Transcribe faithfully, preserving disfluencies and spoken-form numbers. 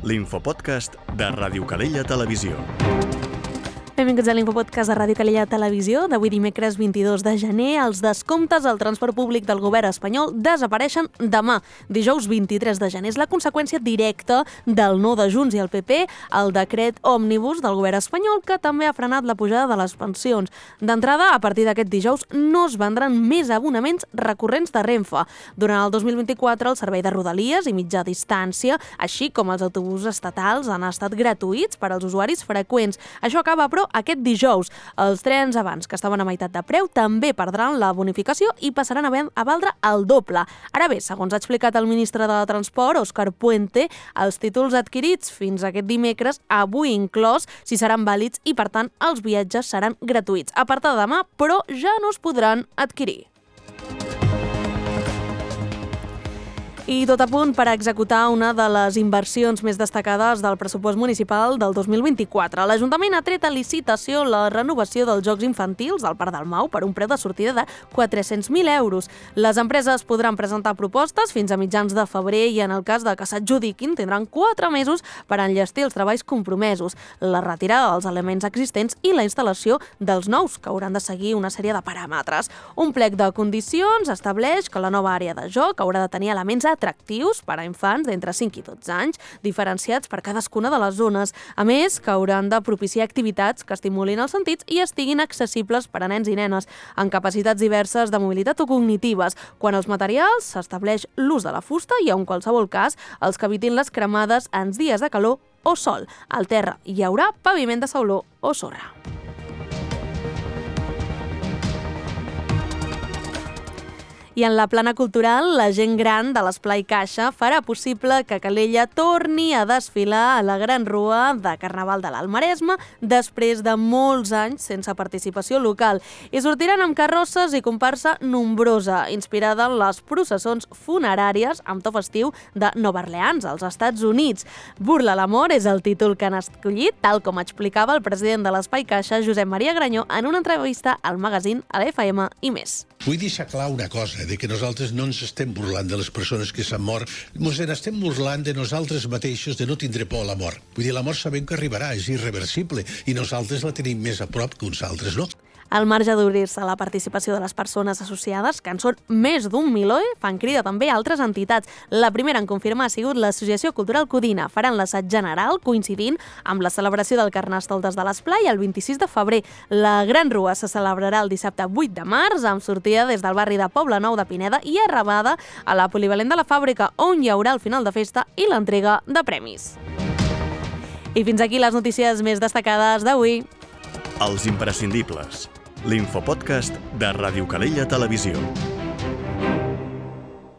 l'infopodcast de Ràdio Calella Televisió. Benvinguts a l'Infopodcast de Ràdio Calella Televisió. D'avui dimecres vint-i-dos de gener, els descomptes al transport públic del govern espanyol desapareixen demà. Dijous vint-i-tres de gener és la conseqüència directa del no de Junts i el P P al decret òmnibus del govern espanyol, que també ha frenat la pujada de les pensions. D'entrada, a partir d'aquest dijous no es vendran més abonaments recurrents de Renfe. Durant el dos mil vint-i-quatre, el servei de Rodalies i mitja distància, així com els autobusos estatals, han estat gratuïts per als usuaris freqüents. Això acaba, però, aquest dijous. Els trens abans, que estaven a meitat de preu, també perdran la bonificació i passaran a, ven- a valdre el doble. Ara bé, segons ha explicat el ministre de Transport, Òscar Puente, els títols adquirits fins aquest dimecres, avui inclòs, si seran vàlids i, per tant, els viatges seran gratuïts. A partir de demà, però, ja no es podran adquirir. I tot a punt per executar una de les inversions més destacades del pressupost municipal del dos mil vint-i-quatre. L'Ajuntament ha tret a licitació la renovació dels Jocs Infantils del Parc del Mau per un preu de sortida de quatre-cents mil euros. Les empreses podran presentar propostes fins a mitjans de febrer i, en el cas de que s'adjudiquin, tindran quatre mesos per enllestir els treballs compromesos, la retirada dels elements existents i la instal·lació dels nous, que hauran de seguir una sèrie de paràmetres. Un plec de condicions estableix que la nova àrea de joc haurà de tenir elements atractius per a infants d'entre cinc i dotze anys, diferenciats per cadascuna de les zones. A més, que hauran de propiciar activitats que estimulin els sentits i estiguin accessibles per a nens i nenes, amb capacitats diverses de mobilitat o cognitives. Quan als materials s'estableix l'ús de la fusta i, en qualsevol cas, els que evitin les cremades en dies de calor o sol. Al terra hi haurà paviment de sauló o sorra. I en la plana cultural, la gent gran de l'Esplai Caixa farà possible que Calella torni a desfilar a la Gran Rua de Carnaval de l'Alt Maresme després de molts anys sense participació local. I sortiran amb carrosses i comparsa nombrosa, inspirada en les processons funeràries amb to festiu de Nova Orleans, als Estats Units. Burla l'amor és el títol que han escollit, tal com explicava el president de l'Espai Caixa, Josep Maria Granyó, en una entrevista al magazín, a l'F M i més. Vull deixar clar una cosa, de que nosaltres no ens estem burlant de les persones que s'han mort, ens estem burlant de nosaltres mateixos, de no tindre por a la mort. Vull dir, la mort sabem que arribarà, és irreversible, i nosaltres la tenim més a prop que uns altres, no? Al marge d'obrir-se a la participació de les persones associades, que en són més d'un miló, fan crida també a altres entitats. La primera en confirmar ha sigut l'Associació Cultural Codina. Faran l'assaig general coincidint amb la celebració del Carnestoltes de l'Esplai el vint-i-sis de febrer. La Gran Rua se celebrarà el dissabte vuit de març, amb sortida des del barri de Poblenou de Pineda i arrabada a la Polivalent de la Fàbrica, on hi haurà el final de festa i l'entrega de premis. I fins aquí les notícies més destacades d'avui. Els imprescindibles. L'infopodcast de Ràdio Calella Televisió.